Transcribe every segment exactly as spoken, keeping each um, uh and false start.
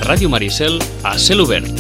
Ràdio Maricel a cel obert.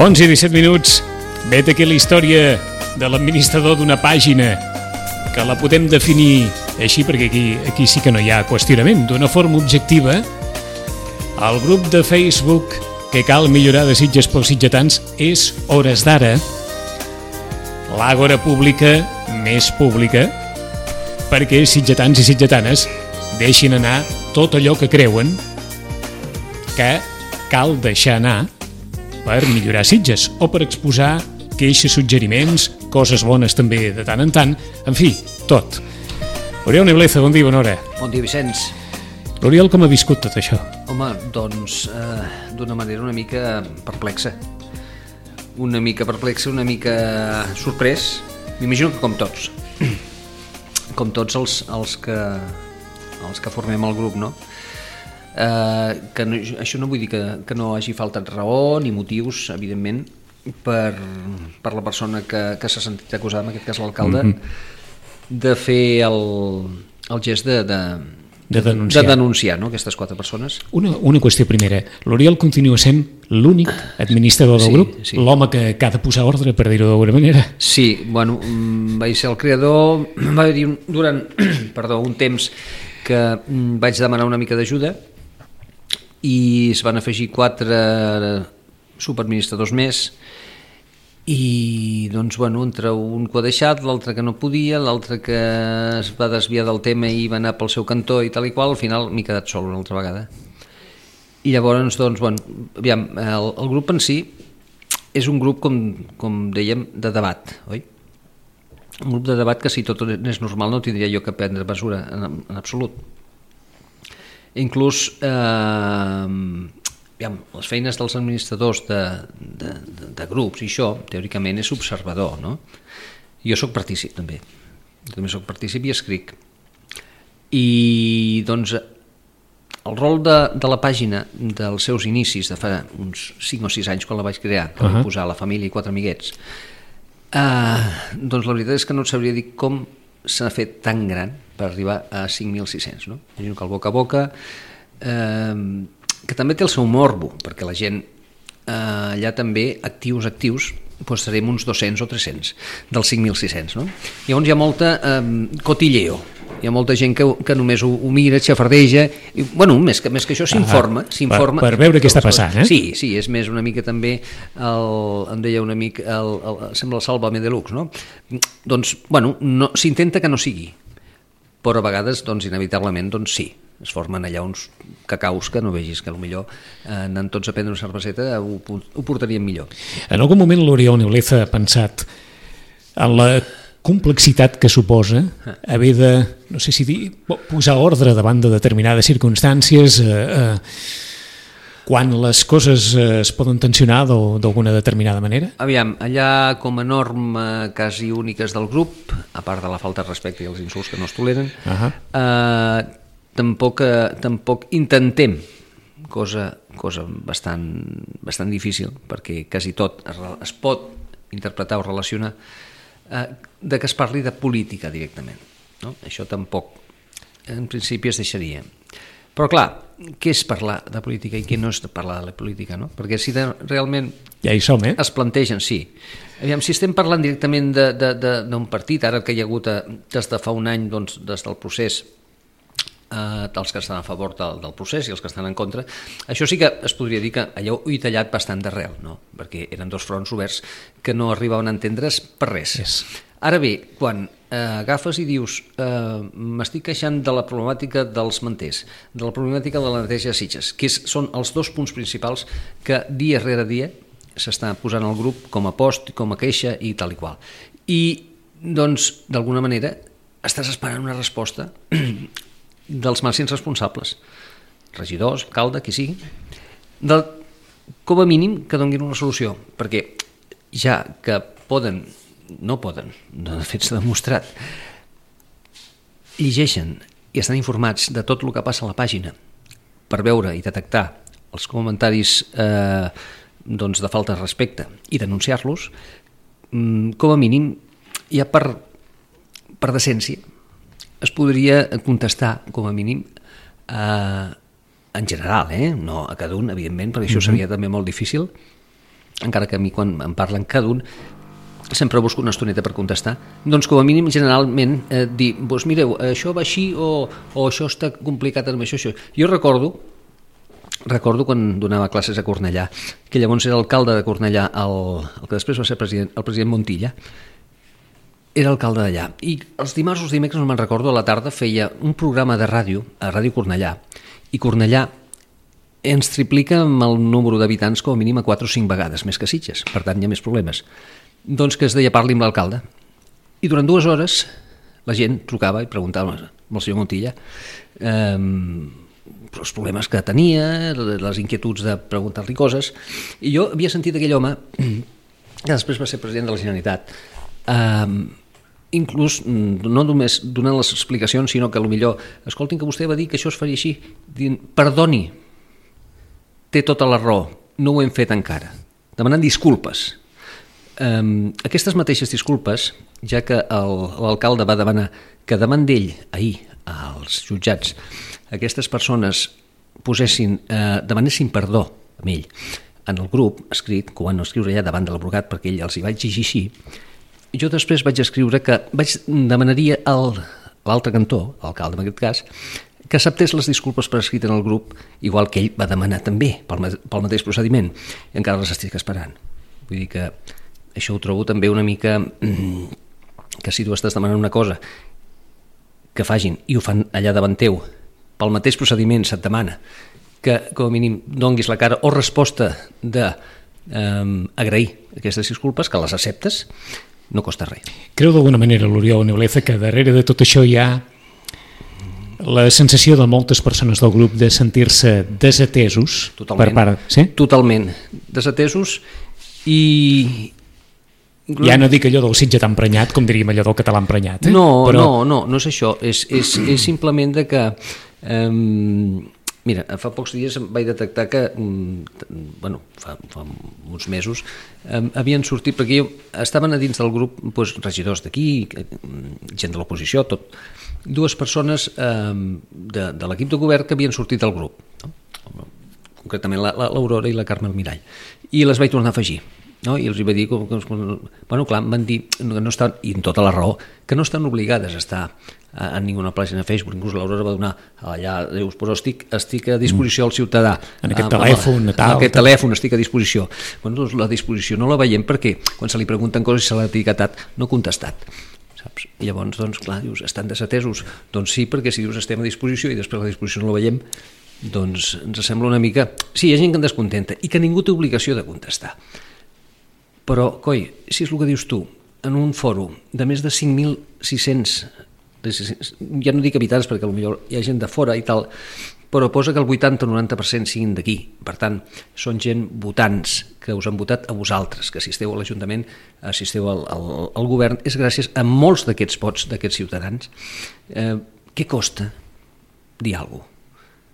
onze i disset minuts, vet aquí la història de l'administrador d'una pàgina que la podem definir així perquè aquí, aquí sí que no hi ha qüestionament, d'una forma objectiva. El grup de Facebook que cal millorar de Sitges pels sitgetans és, hores d'ara, l'àgora pública més pública perquè sitgetans i sitgetanes deixin anar tot allò que creuen que cal deixar anar per millorar Sitges o per exposar queixes, suggeriments, coses bones també de tant en tant, en fi, tot. Oriol Nebleza, bon dia, bona hora. Bon dia, Vicenç. L'Oriol, com ha viscut tot això? Home, doncs, eh, d'una manera una mica perplexa. Una mica perplexa, una mica sorprès. M'imagino que com tots. Com tots els, els, que, els que formem el grup, no? Uh, que no, això no vull dir que, que no hagi faltat raó ni motius, evidentment, per, per la persona que, que s'ha sentit acusada, en aquest cas l'alcalde, mm-hmm. de fer el, el gest de, de, de denunciar, de denunciar no? Aquestes quatre persones. Una, una qüestió primera, l'Oriol continua sent l'únic administrador del sí, grup, sí. L'home que, que ha de posar ordre, per dir-ho d'alguna manera. Sí, bueno, vaig ser el creador, va haver-hi un, durant perdó, un temps que vaig demanar una mica d'ajuda i es van afegir quatre superadministradors més i doncs bueno, entre un que ho ha deixat, l'altre que no podia, l'altre que es va desviar del tema i va anar pel seu cantó i tal i qual, al final m'he quedat sol una altra vegada. I llavors, doncs, bueno, aviam, el, el grup en si és un grup, com, com dèiem, de debat, oi? Un grup de debat que si tot és normal no tindria jo que prendre mesura en, en absolut. Inclús eh, aviam, les feines dels administradors de, de, de, de grups i això, teòricament és observador, no? Jo sóc partícip també, jo també sóc partícip i escric. I doncs el rol de, de la pàgina dels seus inicis de fa uns cinc o sis anys quan la vaig crear, que uh-huh. vaig posar La família i quatre amiguets, eh, doncs la veritat és que no et sabria dir com s'ha fet tan gran per arribar a cinc mil sis-cents, no? Imagino que el boca a boca, eh, que també té el seu morbo, perquè la gent eh, allà també, actius, actius, doncs serem uns dos-cents o tres-cents dels cinc mil sis-cents, no? Llavors hi ha molta eh, cotilleo, hi ha molta gent que, que només ho, ho mira, xafardeja, i, bueno, més que, més que això s'informa, ah, s'informa per, per veure què està passant, eh? Sí, sí, és més una mica també, el, em deia un amic, el, el, sembla el Sálvame Deluxe, no? Doncs, bueno, no, s'intenta que no sigui, però a vegades, doncs, inevitablement, doncs sí, es formen allà uns cacaus que no vegis que potser eh, anant tots a prendre una cerveseta ho, ho portarien millor. En algun moment l'Oriol Nebleza ha pensat en la complexitat que suposa haver de, no sé si dir, posar ordre davant de determinades circumstàncies, eh, eh, quan les coses eh, es poden tensionar d'alguna determinada manera? Aviam, allà com a norma quasi úniques del grup, a part de la falta de respecte i els insults que no es toleren, uh-huh. eh, tampoc, eh, tampoc intentem, cosa, cosa bastant, bastant difícil, perquè quasi tot es, es pot interpretar o relacionar, eh, de que es parli de política directament, no? Això tampoc, en principi es deixaria. Però clar, què és parlar de política i què no és parlar de la política, no? Perquè si de, realment ja hi som, eh? es plantegen, sí. Aviam, si estem parlant directament d'un partit, ara que hi ha hagut, des de fa un any, doncs, des del procés, eh, els que estan a favor del, del procés i els que estan en contra. Això sí que es podria dir que allò ho he tallat bastant d'arrel, no? Perquè eren dos fronts oberts que no arribaven a entendre's per res. Yes. Ara bé, quan eh, agafes i dius eh, m'estic queixant de la problemàtica dels manters, de la problemàtica de la neteja de Sitges, que és, són els dos punts principals que dia rere dia s'està posant al grup com a post, com a queixa i tal i qual. I, doncs, d'alguna manera, estàs esperant una resposta dels màxims responsables, regidors, alcalde, qui sigui, del, com a mínim que donguin una solució, perquè ja que poden, no poden, de fet s'ha demostrat, llegeixen i estan informats de tot el que passa a la pàgina per veure i detectar els comentaris eh, doncs de falta de respecte i denunciar-los, com a mínim ja per per decència, es podria contestar, com a mínim, eh, en general, eh? No a cada un, evidentment, perquè això seria també molt difícil, encara que a mi, quan em parlen cada un, sempre busco una estoneta per contestar, doncs com a mínim, generalment, eh, dir, doncs mireu, això va així o, o això està complicat amb això, això. Jo recordo, recordo quan donava classes a Cornellà, que llavors era alcalde de Cornellà, el, el que després va ser president, el president Montilla, era alcalde d'allà, i els dimarts o els dimecres, no me'n recordo, a la tarda feia un programa de ràdio, a Ràdio Cornellà, i Cornellà ens triplica amb el número d'habitants com a mínim a quatre o cinc vegades, més que Sitges, per tant hi ha més problemes. Doncs que es deia parli amb l'alcalde, i durant dues hores la gent trucava i preguntava al senyor Montilla eh, els problemes que tenia, les inquietuds de preguntar-li coses, i jo havia sentit aquell home, que després va ser president de la Generalitat, eh, inclús no només donant les explicacions, sinó que potser, escoltin, que vostè va dir que això es faria així, dient, perdoni, té tota la raó, no ho hem fet encara, demanant disculpes. Um, aquestes mateixes disculpes, ja que l'alcalde va demanar que davant d'ell, ahir, als jutjats, aquestes persones posessin, eh, demanessin perdó amb ell en el grup escrit, que ho van escriure allà davant de l'advocat perquè ell els hi va exigir així, jo després vaig escriure que vaig demanaria a l'altre cantó, l'alcalde en aquest cas, que acceptés les disculpes per escrit en el grup, igual que ell va demanar també pel, pel mateix procediment, i encara les estic esperant. Vull dir que això ho trobo també una mica que si tu estàs demanant una cosa que facin i ho fan allà davant teu, pel mateix procediment se't demana que com a mínim donguis la cara o resposta d'agrair eh, aquestes disculpes, que les acceptes, no costa res. Creu d'alguna manera, l'Oriol Nebleza, que darrere de tot això hi ha la sensació de moltes persones del grup de sentir-se desatesos? Totalment, per part... sí? Totalment desatesos i... Ja no dic allò del Sitge tan prenyat, com diríem allò del català emprenyat. Eh? No, Però... no, no, no és això, és, és, és simplement de que... Eh, mira, fa pocs dies vaig detectar que, bueno, fa, fa uns mesos, eh, havien sortit, perquè jo, estaven a dins del grup doncs, regidors d'aquí, gent de l'oposició, tot, dues persones eh, de, de l'equip de govern que havien sortit del grup, no? Concretament l'Aurora i la Carme Almirall, i les vaig tornar a afegir. No? I els hi va dir, que, bueno, clar, em van dir, que no estan, i amb tota la raó, que no estan obligades a estar en ninguna pàgina a Facebook, inclús l'Aurora va donar allà, dius, però estic, estic a disposició al ciutadà. En aquest telèfon, tal. En aquest telèfon estic a disposició. Bueno, doncs la disposició no la veiem perquè quan se li pregunten coses i se l'ha etiquetat, no ha contestat. Saps? I llavors, doncs, clar, dius, estan desatesos? Doncs sí, perquè si dius estem a disposició i després la disposició no la veiem, doncs ens sembla una mica... Sí, hi ha gent que en descontenta i que ningú té obligació de contestar. Però, coi, si és el que dius tu, en un fòrum de més de cinc mil sis-cents, ja no dic habitants perquè potser hi ha gent de fora i tal, però posa que el vuitanta o noranta per cent siguin d'aquí. Per tant, són gent votants que us han votat a vosaltres, que assisteu a l'Ajuntament, assisteu al, al, al govern, és gràcies a molts d'aquests vots d'aquests ciutadans. Eh, què costa dir alguna cosa?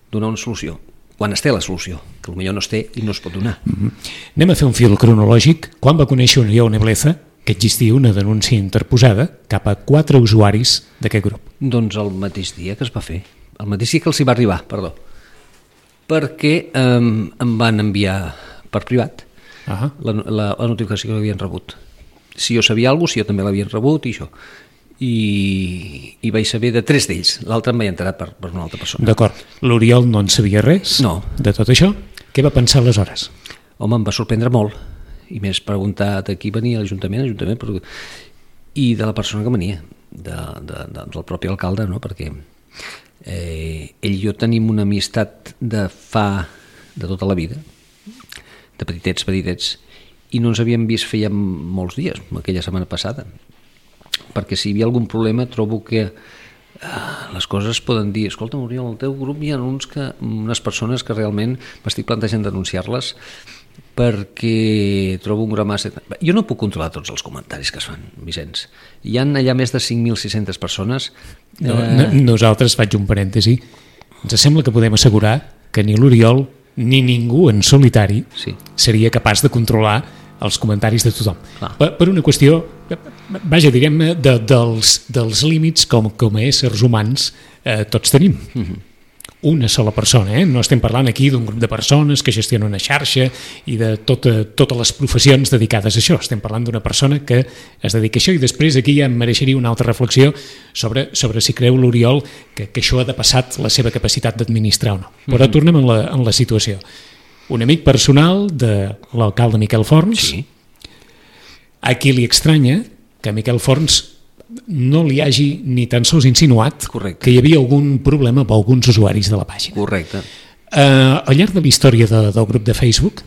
Donar una solució? Quan es té la solució, que potser no es té i no es pot donar. Mm-hmm. Anem a fer un fil cronològic. Quan va conèixer Oriol Nebleza que existia una denúncia interposada cap a quatre usuaris d'aquest grup? Doncs el mateix dia que es va fer, el mateix dia que els hi va arribar, perdó, perquè eh, em van enviar per privat uh-huh. la, la, la notificació que havien rebut. Si jo sabia alguna cosa, si jo també l'havien rebut i això. i, i vaig saber de tres d'ells, l'altre em vaig enterar per, per una altra persona. D'acord, l'Oriol no en sabia res No. de tot això. Què va pensar aleshores? Home, em va sorprendre molt, i més preguntat a qui venia, l'Ajuntament, l'Ajuntament, però... i de la persona que venia, de, de, de, del propi alcalde, no? Perquè eh, ell i jo tenim una amistat de fa, de tota la vida, de petitets, petitets, i no ens havíem vist feia molts dies, aquella setmana passada, perquè si hi havia algun problema trobo que eh, les coses poden dir, escolta, Oriol, al teu grup hi ha uns que, unes persones que realment m'estic plantejant denunciar-les perquè trobo un gra massa... Jo no puc controlar tots els comentaris que es fan, Vicenç. Hi ha allà més de cinc mil sis-centes persones. No, eh... Nosaltres, faig un parèntesi, ens sembla que podem assegurar que ni l'Oriol ni ningú en solitari sí. seria capaç de controlar els comentaris de tothom. Per, per una qüestió, vaja, direm-ne, de, dels, dels límits com, com a éssers humans eh, tots tenim. Mm-hmm. Una sola persona, eh? No estem parlant aquí d'un grup de persones que gestionen una xarxa i de tota, totes les professions dedicades a això. Estem parlant d'una persona que es dedica a això i després aquí ja em mereixeria una altra reflexió sobre, sobre si creu l'Oriol que, que això ha depassat la seva capacitat d'administrar o no. Però mm-hmm. tornem en la, en la situació. Un amic personal de l'alcalde Miquel Forns, sí. a qui li estranya que Miquel Forns no li hagi ni tan sols insinuat Correcte. Que hi havia algun problema amb alguns usuaris de la pàgina. Correcte. Uh, al llarg de la història de, del grup de Facebook,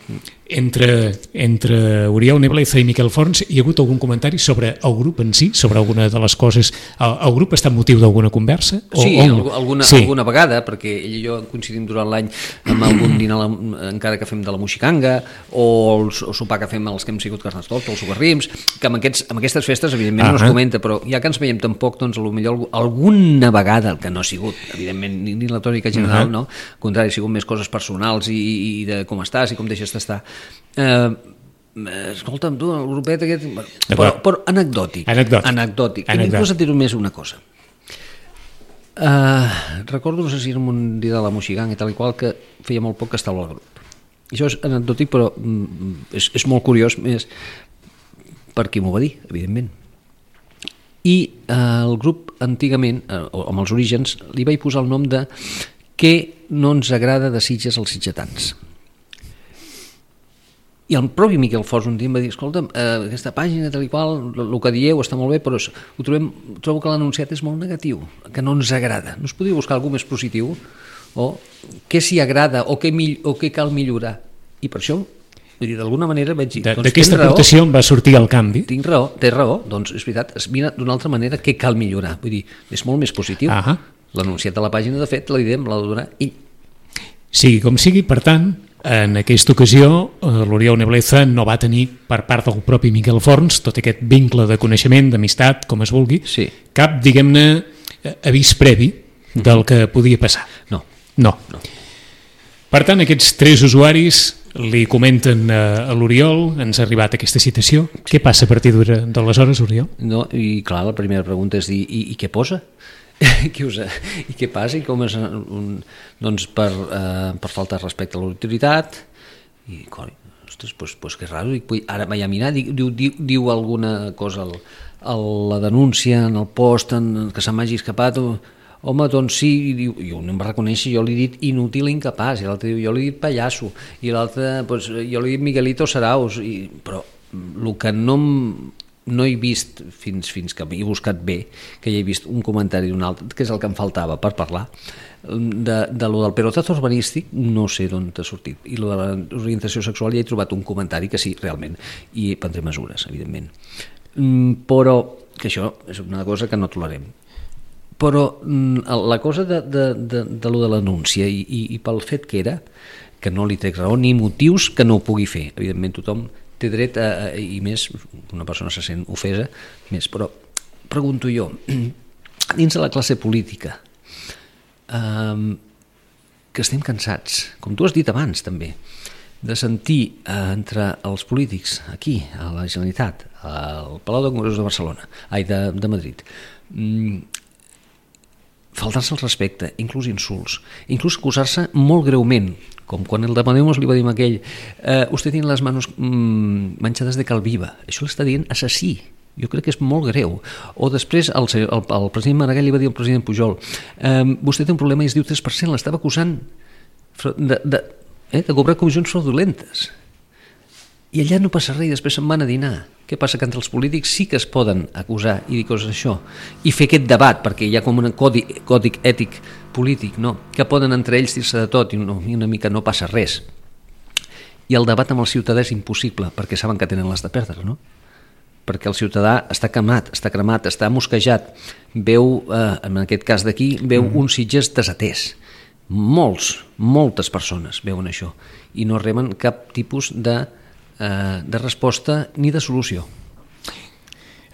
entre, entre Oriol Nebleza i Miquel Forns, hi ha hagut algun comentari sobre el grup en si, sobre alguna de les coses... El, el grup està en motiu d'alguna conversa? O, sí, o... alguna, sí, alguna vegada, perquè ell i jo coincidim durant l'any amb algun dinar, encara que fem de la Moixicanga, o el, el sopar que fem els que hem sigut Carnestoltes, o els Socarrims, que amb, aquests, amb aquestes festes, evidentment, uh-huh. no es comenta, però ja que ens veiem tampoc, doncs, potser alguna vegada, el que no ha sigut, evidentment, ni, ni la tònica general, uh-huh. no? Al contrari, ha sigut més coses personals i, i de com estàs i com deixes d'estar. Eh, escolta'm, tu, el grupet aquest... Però, però anecdòtic. Anecdòtic. Anecdòtic. Anecdòtic. Inclús et diré més una cosa. Uh, recordo, no sé si era un dia de la Moixiganga i tal i qual, que feia molt poc que estava al grup. Això és anecdòtic, però mm, és, és molt curiós, més per qui m'ho va dir, evidentment. I uh, el grup, antigament, uh, amb els orígens, li vaig posar el nom de Què no ens agrada de Sitges als sitgetans. I el propi Miquel Forns un dia em va dir, escolta'm, eh, aquesta pàgina tal i qual, el que dieu està molt bé, però ho trobem, trobo que l'anunciat és molt negatiu, que no ens agrada. No es podria buscar algú més positiu? O què s'hi agrada o què, o què cal millorar? I per això, vull dir, d'alguna manera vaig dir... Doncs d'aquesta aportació em va sortir el canvi. Tinc raó, té raó, doncs és veritat, es mira d'una altra manera què cal millorar. Vull dir, és molt més positiu. Ahà. L'anunciat de la pàgina, de fet, la idea me l'ha de donar ell. Sigui com sigui, per tant, en aquesta ocasió l'Oriol Nebleza no va tenir per part del propi Miquel Forns tot aquest vincle de coneixement, d'amistat, com es vulgui, sí. cap, diguem-ne, avís previ del que podia passar. No. No. no. Per tant, aquests tres usuaris li comenten a l'Oriol, ens ha arribat aquesta citació. Què passa a partir d'aleshores, Oriol? No, i clar, la primera pregunta és dir, i, i què posa? Què us, i què passa i com és un, doncs per, eh, per falta de respecte a l'autoritat i coi, ostres, pues, pues que raro. I ara vaig a mirar, diu, diu, diu alguna cosa al, a la denúncia en el post en, que se m'hagi escapat o, home, doncs sí, i diu, jo no em va reconèixer, jo li he dit inútil, incapaç, i l'altre diu, jo li he dit pallasso, i l'altre, doncs, jo li he dit Miguelito Saraus, i, però el que no em no he vist, fins, fins que he buscat bé, que hi he vist un comentari d'un altre, que és el que em faltava per parlar, de, de lo del pelotazo urbanístic, no sé d'on t'ha sortit, i lo de l'orientació sexual ja he trobat un comentari que sí, realment, i prendré mesures, evidentment. Però, que això és una cosa que no tolerem. Però la cosa de, de, de, de lo de l'anúncia i, i, i pel fet que era, que no li trec raó ni motius que no ho pugui fer, evidentment tothom té dret a, a, i més una persona se sent ofesa més, però pregunto jo dins de la classe política um, que estem cansats, com tu has dit abans també, de sentir uh, entre els polítics aquí a la Generalitat, al Palau de Congressos de Barcelona, ai, de, de Madrid, um, faltar-se el respecte, inclús insults, inclús acusar-se molt greument, com quan el de Podemos li va dir a aquell eh, usted tiene les manos mmm, manchades de cal viva, això l'està dient assassí, Jo crec que és molt greu. O després el, el, el president Maragall li va dir al president Pujol eh, vostè té un problema i es diu tres per cent, l'estava acusant de, de, eh, de cobrar comissions fraudulentes. I allà no passa res i després se'n van a dinar. Què passa? Que entre els polítics sí que es poden acusar i dir coses d'això i fer aquest debat, perquè hi ha com un codi, còdic ètic polític, no? Que poden entre ells dir-se de tot i, no, i una mica no passa res. I el debat amb el ciutadà és impossible perquè saben que tenen les de perdre, no? Perquè el ciutadà està cremat, està cremat, està mosquejat, veu, eh, en aquest cas d'aquí, veu mm. un Sitges desatès. Molts, moltes persones veuen això i no reben cap tipus de, eh, de resposta ni de solució.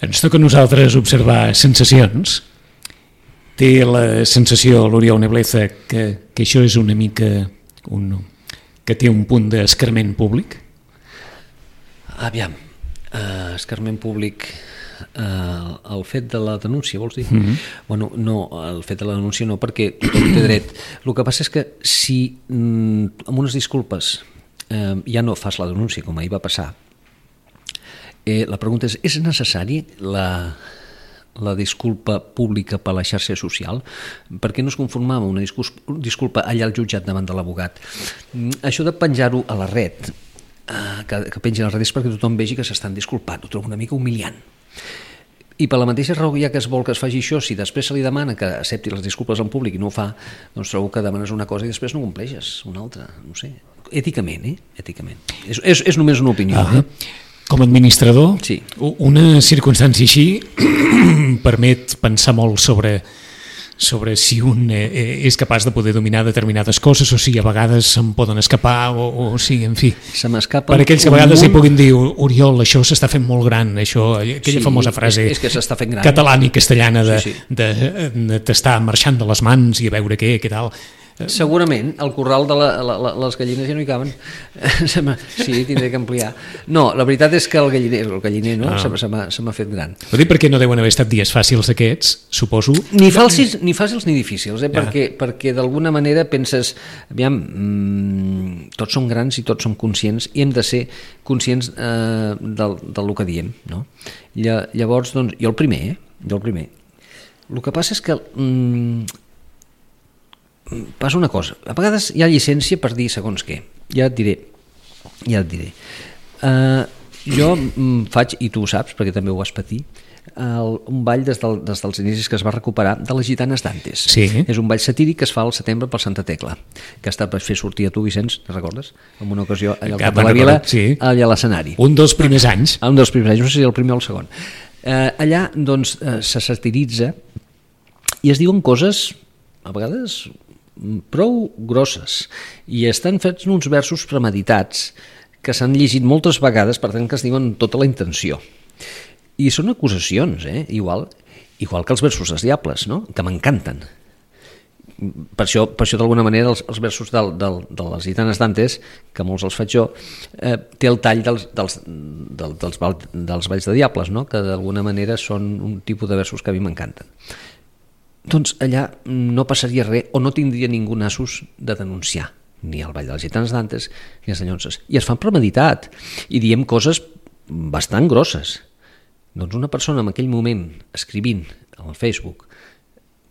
Ens toca a nosaltres observar sensacions. Té la sensació, l'Oriol Nebleza, que, que això és una mica... Un, que té un punt d'escarment públic? Aviam. Uh, escarment públic uh, el fet de la denúncia, vols dir? Mm-hmm. Bueno, no, el fet de la denúncia no, perquè tothom té dret. El que passa és que si mm, amb unes disculpes uh, ja no fas la denúncia, com ahir va passar, eh, la pregunta és, és necessari la, la disculpa pública per la xarxa social? Per què no es conformava una disculpa allà al jutjat davant de l'abogat? Mm, això de penjar-ho a la red, que, que pengin les redes perquè tothom vegi que s'estan disculpant, ho trobo una mica humiliant. I per la mateixa raó ja que es vol que es faci això, si després se li demana que accepti les disculpes en públic i no ho fa, doncs trobo que demanes una cosa i després no compleixes una altra, no sé, èticament, eh? Èticament. És, és, és només una opinió. Ah, eh? Com a administrador, sí. Una circumstància així permet pensar molt sobre sobre si un eh, és capaç de poder dominar determinades coses o si a vegades se'n poden escapar o, o si, en fi. Se m'escapa per aquells que a vegades munt... hi puguin dir Oriol, això s'està fent molt gran, això, aquella sí, famosa frase és, és que s'està fent gran, catalana i castellana de, sí, sí. de, de, de t'estar marxant de les mans i a veure què, què tal. Segurament, al corral de la, la, la, les gallines ja no hi caben. Sí, tindré que ampliar. No, la veritat és que el galliner, el galliner no, ah. se m'ha fet gran. Ho dic perquè no deuen haver estat dies fàcils aquests, suposo. Ni fàcils ni, fàcils, ni difícils, eh? ja. perquè, perquè d'alguna manera penses, aviam, mmm, tots som grans i tots som conscients i hem de ser conscients eh, del, del que diem. No? Llavors, doncs, jo el primer, eh? jo el primer. El que passa és que... Mmm, passa una cosa, a vegades hi ha llicència per dir segons què, ja et diré ja et diré uh, jo faig, i tu ho saps perquè també ho vas patir, el, un ball des, del, des dels inicis que es va recuperar de les Gitanes d'Antes. Sí. És un ball satíric que es fa al setembre per Santa Tecla, que està per fer sortir a tu, Vicenç, te'n recordes? En una ocasió allà al Cap de la Vila, sí. Allà a l'escenari. Un dels primers anys. Un dels primers anys, no sé si el primer o el segon. Uh, allà doncs uh, se satiritza i es diuen coses a vegades prou grosses i estan fets uns versos premeditats que s'han llegit moltes vegades, per tant que es diuen tota la intenció i són acusacions, eh? igual, igual que els versos dels Diables, no? Que m'encanten. Per això, per això d'alguna manera els, els versos del, del, de les Gitanes d'Antes, que molts els faig jo, eh, té el tall dels, dels, del, dels, dels balls de Diables, no? Que d'alguna manera són un tipus de versos que a mi m'encanten. Doncs allà no passaria res o no tindria ningú nassos de denunciar ni el Ball de les Gitanes d'Antes ni les Dallonses. I es fan premeditat i diem coses bastant grosses. Doncs una persona en aquell moment escrivint al Facebook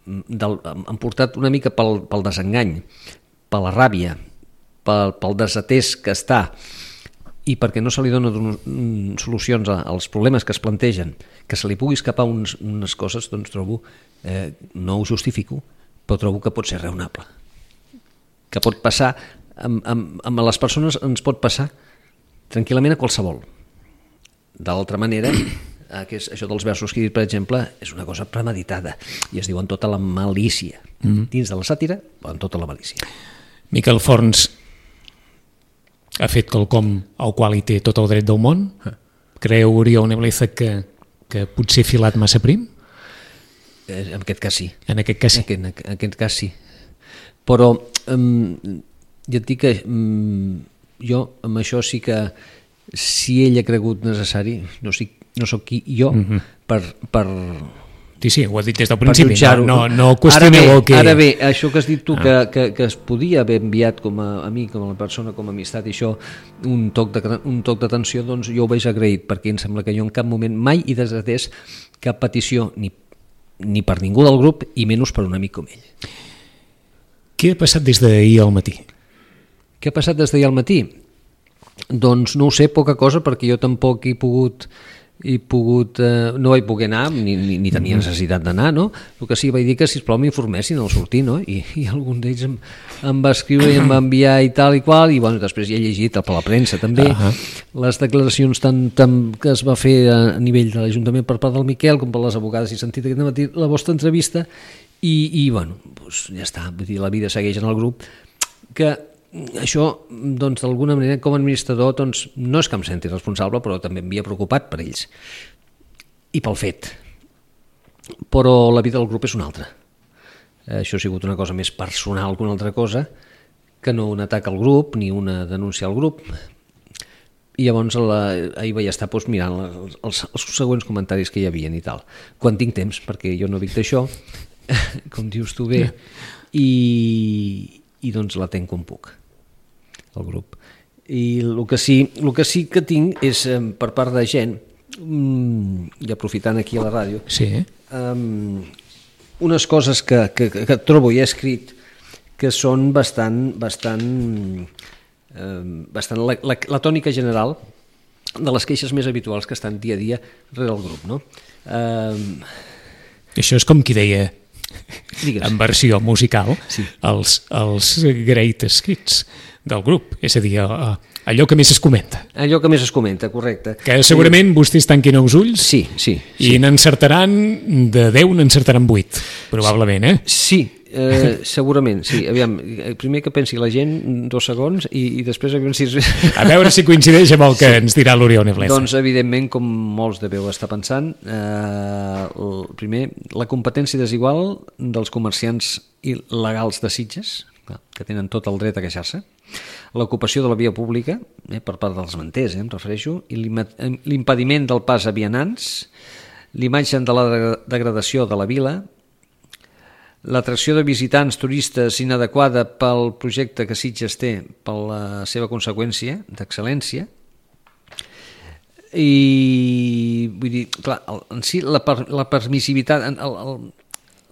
del, han portat una mica pel, pel desengany, per la ràbia, pel, pel desatès que està i perquè no se li donen solucions als problemes que es plantegen, que se li pugui escapar uns, unes coses, doncs trobo, eh, no ho justifico, però trobo que pot ser raonable. Que pot passar, amb, amb, amb les persones ens pot passar tranquil·lament a qualsevol. D'altra manera, que és, això dels versos que he dit, per exemple, és una cosa premeditada i es diu en tota la malícia. Mm. Dins de la sàtira, però en tota la malícia. Miquel Forns ha fet quelcom al qual hi té tot el dret del món? Creu Oriol Nebleza que, que potser ha filat massa prim? En aquest cas sí. En aquest cas sí. En aquest, en aquest cas sí. Però um, ja et dic que um, jo amb això sí que si ell ha cregut necessari, no, sé, no soc qui jo uh-huh. per, per Sí, sí, ho ha dit des del per principi, jutjar-ho. no, no, no qüestioneu ara bé, el que... Ara bé, això que has dit tu, Ah. que, que, que es podia haver enviat com a, a mi, com a la persona, com a amistat, i això, un toc de, un toc d'atenció, doncs jo ho veig agraït, perquè em sembla que jo en cap moment mai he desatès cap petició, ni, ni per ningú del grup, i menys per un amic com ell. Què ha passat des d'ahir al matí? Què ha passat des d'ahir al matí? Doncs no ho sé, poca cosa, perquè jo tampoc he pogut, he pogut eh, no vaig poder anar, ni, ni, ni tenia necessitat d'anar, no? El que sí vaig dir que, sisplau, m'informessin al sortir, no? I, i algun d'ells em, em va escriure i em va enviar i tal i qual, i bueno, després ja he llegit per la premsa també, uh-huh. les declaracions tant, tant que es va fer a nivell de l'Ajuntament per part del Miquel com per les abogades, i he sentit aquest matí la vostra entrevista, i, i bueno, doncs ja està, vull dir, la vida segueix en el grup, que això, doncs, d'alguna manera, com a administrador, doncs, no és que em senti responsable, però també em havia preocupat per ells i pel fet. Però la vida del grup és una altra. Això ha sigut una cosa més personal que una altra cosa, que no un atac al grup ni una denúncia al grup. I llavors la, ahir vaig estar doncs, mirant els, els, els següents comentaris que hi havia i tal. Quan tinc temps, perquè jo no vic d'això, com dius tu bé, i, i doncs la tenc com puc, el grup. I el que sí, el que, sí que tinc és, eh, per part de gent, mm, i aprofitant aquí a la ràdio, Sí. um, unes coses que, que, que trobo i he escrit que són bastant, bastant, eh, bastant la, la, la tònica general de les queixes més habituals que estan dia a dia rere el grup, no? Um, Això és com qui deia, Digues. en versió musical, Sí. els, els greatest hits del grup, és a dir, allò que més es comenta. Allò que més es comenta, correcte. Que segurament vostès tanquin els ulls Sí, sí. i sí. n'encertaran, de deu n'encertaran vuit, probablement, eh? Sí, eh, segurament, sí. Aviam, primer que pensi la gent, dos segons, i, i després aviam si... A veure si coincideix amb el que sí. ens dirà l'Oriol Nebleza. Doncs, evidentment, com molts deveu estar pensant, eh, el, primer, la competència desigual dels comerciants il·legals de Sitges, que tenen tot el dret a queixar-se, l'ocupació de la via pública, eh, per part dels manters, eh, em refereixo, i l'impediment del pas a vianants, l'imatge de la degradació de la vila, l'atracció de visitants turistes inadequada pel projecte que Sitges té per la seva conseqüència d'excel·lència, i vull dir, clar, en si la, per, la permissivitat, el, el,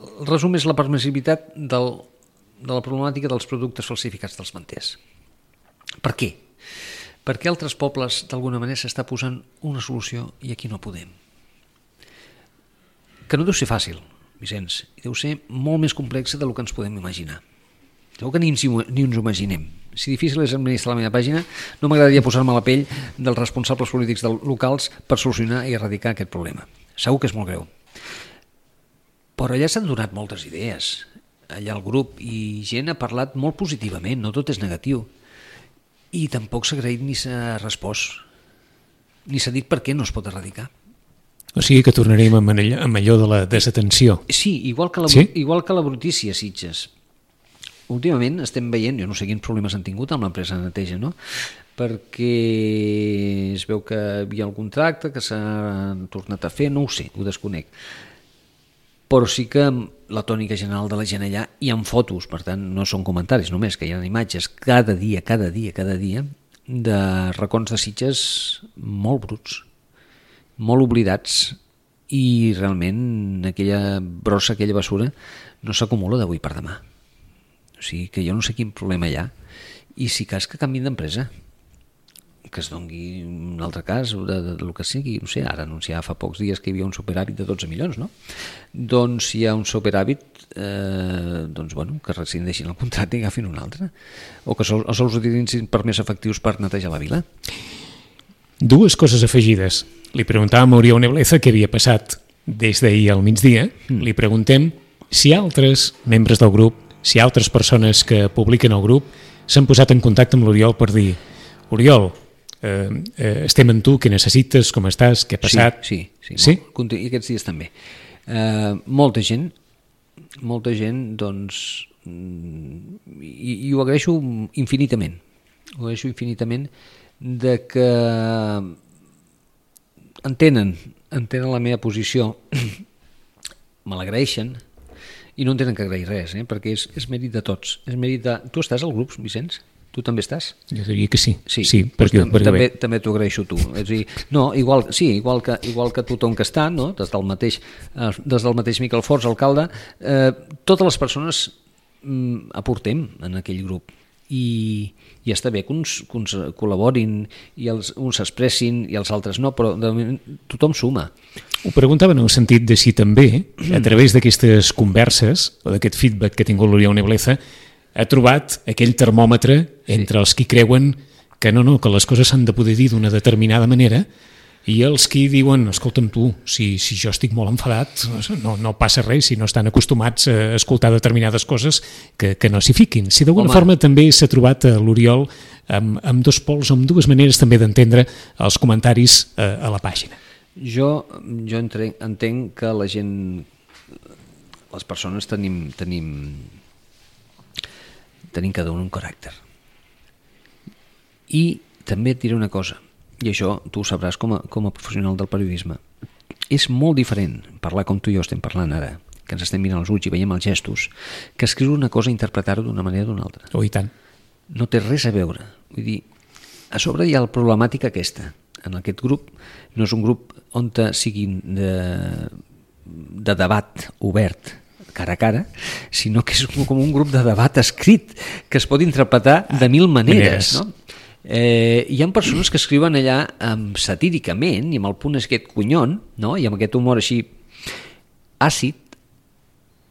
el resum és la permissivitat del, de la problemàtica dels productes falsificats dels manters. Per què? Perquè altres pobles d'alguna manera s'està posant una solució i aquí no podem. Que no deu ser fàcil, Vicenç, deu ser molt més complexa del que ens podem imaginar. Segur que ni ens, ni ens ho imaginem. Si difícil és administrar la meva pàgina, no m'agradaria posar-me a la pell dels responsables polítics locals per solucionar i erradicar aquest problema. Segur que és molt greu. Però allà s'han donat moltes idees. Allà el grup i gent ha parlat molt positivament, no tot és negatiu. I tampoc s'ha agraït ni s'ha respost, ni s'ha dit per què no es pot erradicar. O sigui que tornarem amb allò, amb allò de la desatenció. Sí, igual que la, sí? igual que la brutícia a Sitges. Últimament estem veient, jo no sé quins problemes han tingut amb l'empresa de neteja, no? Perquè es veu que hi havia algun tracte que s'ha tornat a fer, no ho sé, ho desconec. Però sí que la tònica general de la gent allà hi ha fotos, per tant no són comentaris només, que hi ha imatges cada dia, cada dia, cada dia de racons de Sitges molt bruts, molt oblidats, i realment aquella brossa, aquella basura no s'acumula d'avui per demà. O sigui que jo no sé quin problema hi ha, i si cas que canviïn d'empresa, que es doni un altre cas de, de, de, de que sigui, no sé, ara anunciava fa pocs dies que hi havia un superàvit de dotze milions, no? Doncs si hi ha un superàvit, eh, doncs bueno, que rescindeixin el contracte i agafin un altre, o que sols, sols utilitzin per més efectius per netejar la vila. Dues coses afegides. Li preguntàvem a Oriol Nebleza què havia passat des d'ahir al migdia, mm. li preguntem si altres membres del grup, si altres persones que publiquen el grup s'han posat en contacte amb l'Oriol per dir: Oriol, eh, eh, estem amb tu, què necessites, com estàs, què ha passat? Sí, sí, sí, sí? Molt, i aquests dies també. Eh, molta gent, molta gent, doncs, i, i ho agraeixo infinitament, ho agraeixo infinitament de que entenen, entenen la meva posició me l'agraeixen i no en tenen que agrair res, eh? Perquè és, és mèrit de tots. És mèrit de... Tu estàs al grup, Vicenç? Tu també estàs? Jo diria que sí. Sí, sí doncs perquè, tam perquè també, també t'ho agraeixo tu. És a dir, no, igual, sí, igual que, igual que tothom que està, no? des, del mateix, eh, des del mateix Miquel Forns, alcalde, eh, totes les persones mm, aportem en aquell grup. I, i està bé que uns, que uns col·laborin i els, uns s'expressin i els altres no, però de moment tothom suma. Ho preguntava en el sentit de si també, a través d'aquestes converses o d'aquest feedback que ha tingut l'Oriol Nebleza, ha trobat aquell termòmetre entre sí. els qui creuen que no, no, que les coses s'han de poder dir d'una determinada manera i els qui diuen, escolta'm tu, si, si jo estic molt enfadat, no, no passa res si no estan acostumats a escoltar determinades coses que, que no s'hi fiquin. Si d'alguna forma també s'ha trobat a l'Oriol amb, amb dos pols, amb dues maneres també d'entendre els comentaris a, a la pàgina. Jo, jo entenc, entenc que la gent, les persones tenim, tenim, tenim cada un un caràcter. I també et diré una cosa, i això tu ho sabràs com a, com a professional del periodisme. És molt diferent parlar com tu i jo estem parlant ara, que ens estem mirant els ulls i veiem els gestos, que escriure una cosa i interpretar-ho d'una manera o d'una altra. Oh, i tant. No té res a veure. Vull dir, a sobre hi ha la problemàtica aquesta. En aquest grup no és un grup on siguin de, de debat obert cara a cara, sinó que és com un grup de debat escrit que es pot interpretar de mil maneres, no? Eh, hi ha persones que escriuen allà um, satíricament i amb el punt aquest conyon, no? I amb aquest humor així àcid,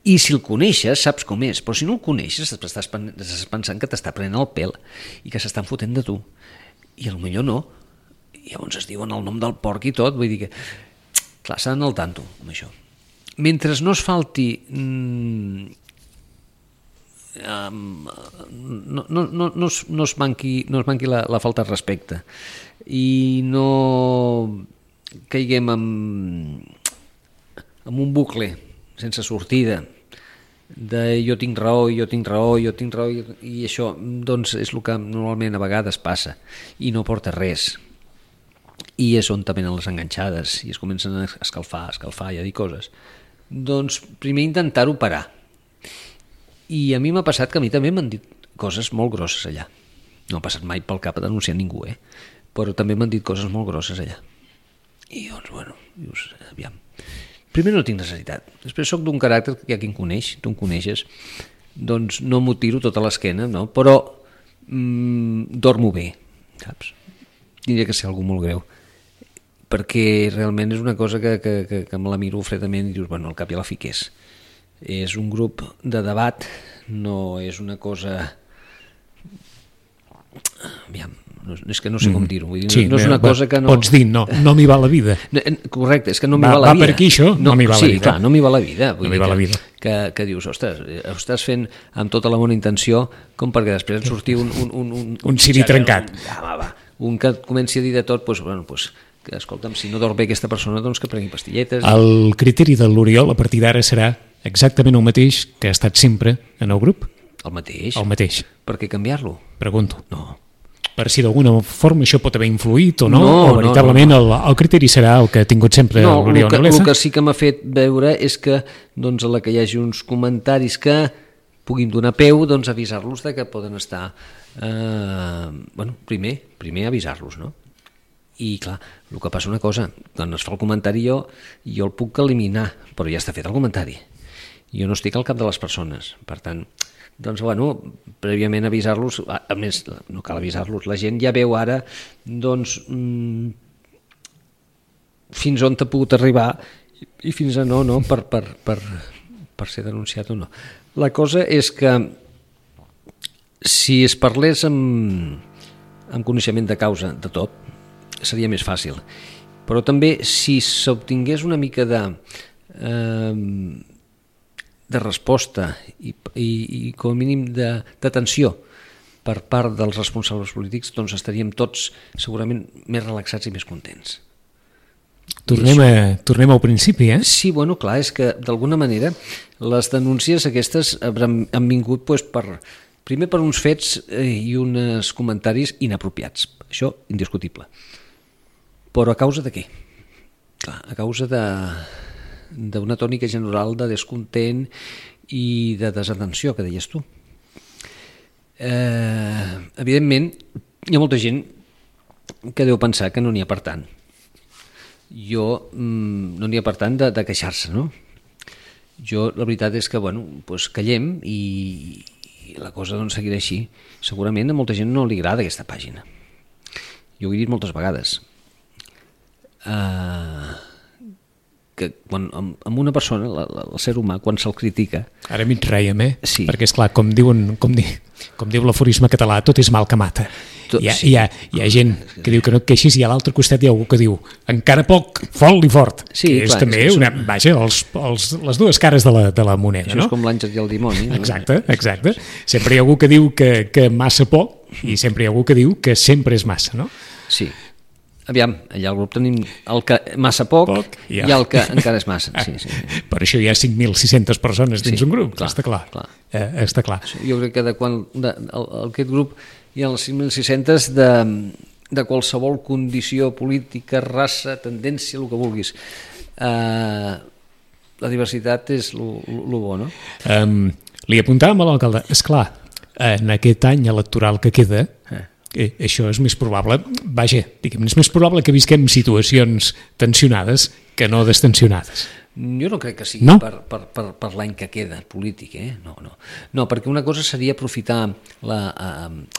i si el coneixes saps com és, però si no el coneixes estàs pensant que t'està prenent el pèl i que s'estan fotent de tu i potser no, i llavors es diuen el nom del porc i tot, vull dir que clar, s'ha d'anar al tanto amb això. Mentre no es falti mmm, Um, no, no, no, no, es, no es manqui, no es manqui la, la falta de respecte i no caiguem en, en un bucle sense sortida de jo tinc raó, jo tinc raó, jo tinc raó i, i això doncs és el que normalment a vegades passa i no porta res i és on també venen les enganxades i es comencen a escalfar, a escalfar i a dir coses. Doncs primer intentar-ho parar. I a mi m'ha passat que a mi també m'han dit coses molt grosses allà. No ha passat mai pel cap a denunciar ningú, eh? Però també m'han dit coses molt grosses allà. I doncs, bueno, dius, aviam. Primer no tinc necessitat. Després sóc d'un caràcter que hi ha qui em coneix, tu em coneixes, doncs no m'ho tiro tota l'esquena, no? Però mmm, dormo bé, saps? Tindria que ser algú molt greu. Perquè realment és una cosa que, que, que, que me la miro fredament i dius, bueno, al cap i a la fi què és? És un grup de debat, no és una cosa... Aviam, no, és que no sé com dir-ho. Vull dir, sí, no, no és una va, cosa que no... Pots dir, no, no m'hi va la vida. Correcte, és que no m'hi va, va la va vida. Va per aquí això, no, no m'hi va sí, la vida. Sí, clar, no m'hi va la vida. Vull no m'hi va que, la vida. Que, que dius, ostres, ho estàs fent amb tota la bona intenció com perquè després et surti un... Un, un, un, un ciri trencat. Un, ja, va, va, un que et comenci a dir de tot, doncs, bueno, doncs, que, escolta'm, si no dorm bé aquesta persona, doncs que prengui pastilletes. El criteri de l'Oriol a partir d'ara serà exactament el mateix que ha estat sempre en el grup? El mateix. El mateix. Per què canviar-lo? Pregunto. No. Per si d'alguna forma això pot haver influït o no, no o veritablement no, no. El, el criteri serà el que ha tingut sempre no, l'Oriol Nebleza? El que sí que m'ha fet veure és que doncs, a la que hi hagi uns comentaris que puguin donar peu, doncs avisar-los de que poden estar... Eh, bueno, primer, primer avisar-los, no? I clar, el que passa una cosa, quan es fa el comentari jo, jo el puc eliminar, però ja està fet el comentari. Jo no estic al cap de les persones, per tant, doncs bueno, prèviament avisar-los, a més, no cal avisar-los, la gent ja veu ara, doncs, mmm, fins on t'ha pogut arribar i fins a no, no, per, per, per, per ser denunciat o no. La cosa és que si es parlés amb, amb coneixement de causa de tot, seria més fàcil, però també si s'obtingués una mica de eh, de resposta i, i, i com a mínim d'atenció per part dels responsables polítics, doncs estaríem tots segurament més relaxats i més contents. Tornem, a, tornem al principi, eh? Sí, bueno, clar, és que d'alguna manera les denúncies aquestes han, han vingut doncs, per, primer per uns fets i uns comentaris inapropiats, això indiscutible. Però a causa de què? Clar, a causa de, d'una tònica general de descontent i de desatenció, que deies tu. Eh, evidentment, hi ha molta gent que deu pensar que no n'hi ha per tant. Jo, mm, no n'hi ha per tant de, de queixar-se, no? Jo, la veritat és que, bueno, doncs callem i, i la cosa doncs seguirà així. Segurament a molta gent no li agrada aquesta pàgina. Jo ho he dit moltes vegades. Uh, que quan, amb, amb una persona, la, la, el ser humà, quan se'l critica... Ara mig rèiem, eh? Sí. Perquè, esclar, com, diuen, com, di, com diu l'aforisme català, tot és mal que mata. Tot, hi, ha, sí. hi, ha, hi ha gent que diu que no et queixis i a l'altre costat hi ha algú que diu encara poc, fort i fort. Sí, que és clar, també és que una, són... vaja, els, els, les dues cares de la, de la moneda. Això no? És com l'àngel i el dimoni. No? Exacte, exacte. Sempre hi ha algú que diu que, que massa poc i sempre hi ha algú que diu que sempre és massa, no? Sí. Aviam, allà al grup tenim el que massa poc, poc ja. I el que encara és massa. Sí, sí, sí. Per això hi ha cinc mil sis-centes persones dins sí, un grup, clar, està clar. clar. Eh, està clar. Jo crec que de quan de, el, aquest grup hi ha les cinc mil sis-centes de, de qualsevol condició política, raça, tendència, el que vulguis. Eh, la diversitat és el bo, no? Um, li apuntàvem a l'alcalde, esclar, en aquest any electoral que queda... Eh. Eh, això és més probable, vaja, diguem, és més probable que visquem situacions tensionades que no destensionades. Jo no crec que sigui no? per, per, per, per l'any que queda polític, eh? No, no. No, perquè una cosa seria aprofitar la,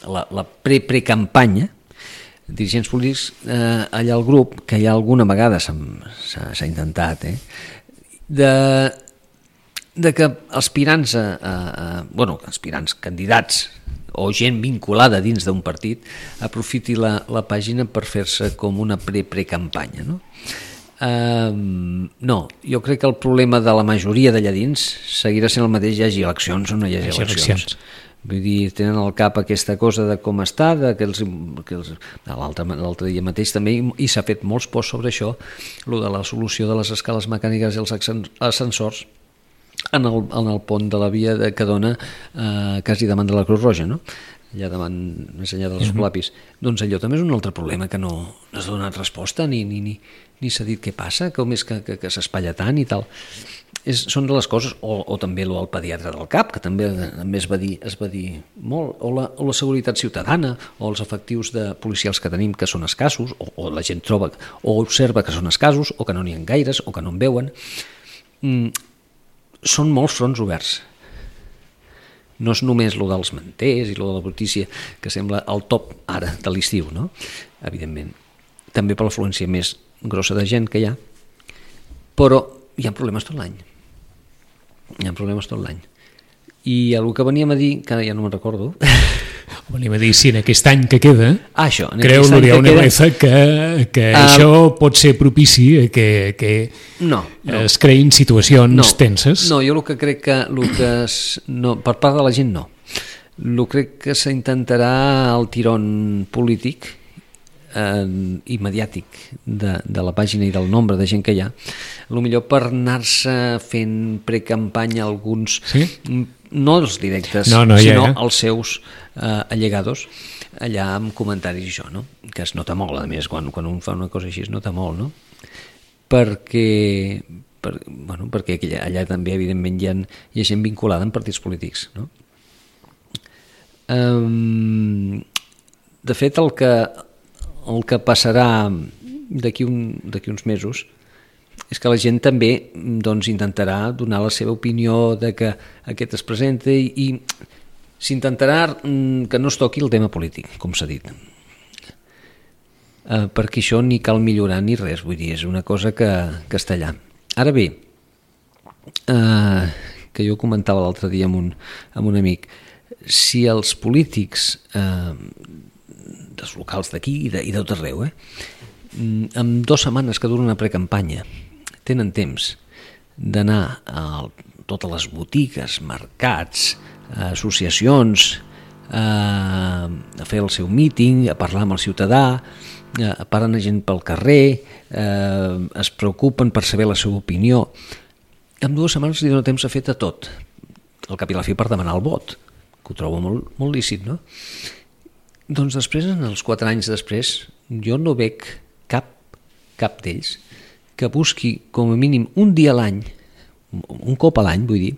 la, la pre-pre-campanya, dirigents polítics, eh, allà al grup, que ja alguna vegada s'ha intentat, eh? de, de que aspirants, a, a, a, bueno, aspirants, candidats, o gent vinculada dins d'un partit aprofiti la, la pàgina per fer-se com una pre-pre-campanya, no? Um, no, jo crec que el problema de la majoria d'allà dins seguirà sent el mateix, hi hagi eleccions o no hi hagi eleccions. Vull dir, tenen al cap aquesta cosa de com està, de que els, que els, l'altre dia mateix també, i s'ha fet molts posts sobre això, lo de la solució de les escales mecàniques i els ascensors, en el, en el pont de la via de, que dona eh, quasi davant de la Cruz Roja, no? Allà davant, més enllà dels Escolapis. Mm-hmm. Doncs allò també és un altre problema que no, no s'ha donat resposta, ni, ni, ni, ni s'ha dit què passa, com és que, que, que s'espatlla tant i tal. És, són de les coses, o, o també el pediatre del CAP, que també, també es, va dir, es va dir molt, o la, o la seguretat ciutadana, o els efectius de policials que tenim que són escassos, o, o la gent troba o observa que són escassos, o que no n'hi ha gaires, o que no en veuen. Mm, són molts fronts oberts. No és només lo dels manters i lo de la brutícia, que sembla el top ara de l'estiu, no? Evidentment. També per l'afluència més grossa de gent que hi ha, però hi ha problemes tot l'any. Hi ha problemes tot l'any. I el que veníem a dir, que ara ja no me'n recordo... Venim a dir si en aquest any que queda ah, això, creu l'Oriol Nebreza que, que uh, això pot ser propici que, que no, no. es creïn situacions no, tenses. No, jo el que crec que, el que es, no, per part de la gent no. El crec que s'intentarà el tirón polític eh, i mediàtic de, de la pàgina i del nombre de gent que hi ha, potser per anar-se fent precampanya alguns... Sí? No els directes, no, no, sinó ja, ja. els seus eh, allegados, allà amb comentaris i això, no? Que es nota molt, a més, quan, quan un fa una cosa així es nota molt, no? Perquè, per, bueno, perquè allà, allà també, evidentment, hi ha, hi ha gent vinculada en partits polítics, no? Um, de fet, el que, el que passarà d'aquí un, d'aquí uns mesos és que la gent també doncs, intentarà donar la seva opinió de que aquest es presenta i, i s'intentarà que no es toqui el tema polític, com s'ha dit. Eh, perquè això ni cal millorar ni res, vull dir, és una cosa que, que està allà. Ara bé, eh, que jo comentava l'altre dia amb un, amb un amic, si els polítics eh, dels locals d'aquí i de, i d'tot arreu, eh, amb dues setmanes que dura una precampanya, tenen temps d'anar a totes les botigues, mercats, associacions, a fer el seu míting, a parlar amb el ciutadà, a parlar gent pel carrer, es preocupen per saber la seva opinió. En dues setmanes li dona temps a fer de tot. Al cap i la fi per demanar el vot, que ho trobo molt, molt lícit, no? Doncs després, en els quatre anys després, jo no veig cap, cap d'ells que busqui com a mínim un dia a l'any, un cop a l'any, vull dir,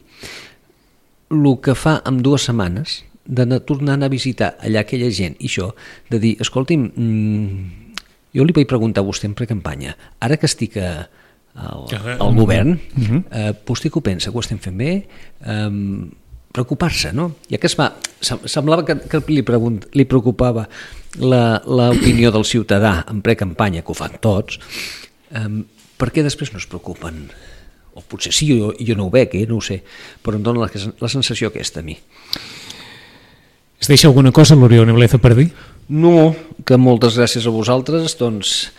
el que fa en dues setmanes d'anar tornant a visitar allà aquella gent i això, de dir, escolti'm, mmm, jo li vaig preguntar a vostè en precampanya, ara que estic a, al, al govern, uh-huh. eh, vostè que ho pensa, que ho estem fent bé, eh, preocupar-se, no? Ja que es va, semblava que, que li, pregunt, li preocupava l'opinió del ciutadà en precampanya, que ho fan tots, eh, per què després no es preocupen? O potser sí, jo, jo no ho veig, eh? No ho sé, però em dóna la, la sensació aquesta a mi. Es deixa alguna cosa, l'Oriol Nebleza, per dir? No, que moltes gràcies a vosaltres, doncs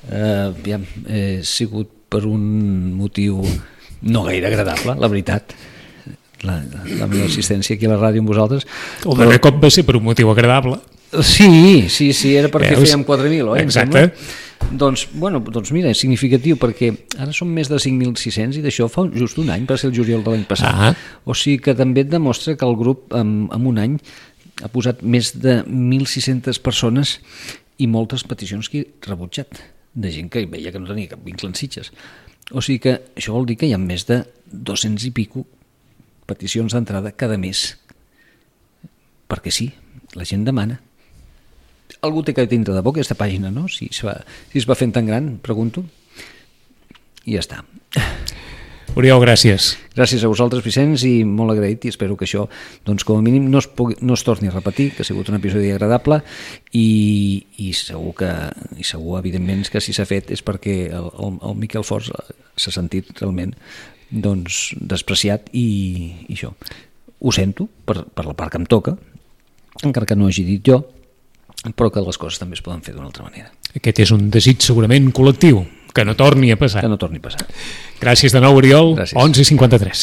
eh, ja, he sigut per un motiu no gaire agradable, la veritat. La, la meva assistència aquí a la ràdio amb vosaltres. El darrer però... cop va ser per un motiu agradable. Sí, sí, sí, era perquè Veus? Fèiem quatre mil, oi? Exacte. Doncs, bueno, doncs mira, és significatiu perquè ara són més de cinc mil sis-cents i d'això fa just un any, va ser el juliol de l'any passat. Ah. O sigui que també et demostra que el grup en, en un any ha posat més de mil sis-centes persones i moltes peticions que he rebutjat, de gent que veia que no tenia cap vincle en Sitges. O sigui que això vol dir que hi ha més de dos-cents i pico peticions d'entrada cada mes. Perquè sí, la gent demana. Algú té que tindre de bo aquesta pàgina, no? Si es va, si es va fent tan gran, pregunto. I ja està. Oriol, gràcies. Gràcies a vosaltres, Vicenç, i molt agraït, i espero que això, doncs, com a mínim, no es, pugui, no es torni a repetir, que ha sigut un episodi agradable, i, i segur que, i segur, evidentment, que si s'ha fet és perquè el, el, el Miquel Forns s'ha sentit realment doncs, despreciat i, i això. Ho sento per, per la part que em toca, encara que no hagi dit jo, però que les coses també es poden fer d'una altra manera. Aquest és un desig segurament col·lectiu, que no torni a passar. Que no torni a passar. Gràcies de nou, Oriol. Gràcies. onze i cinquanta-tres.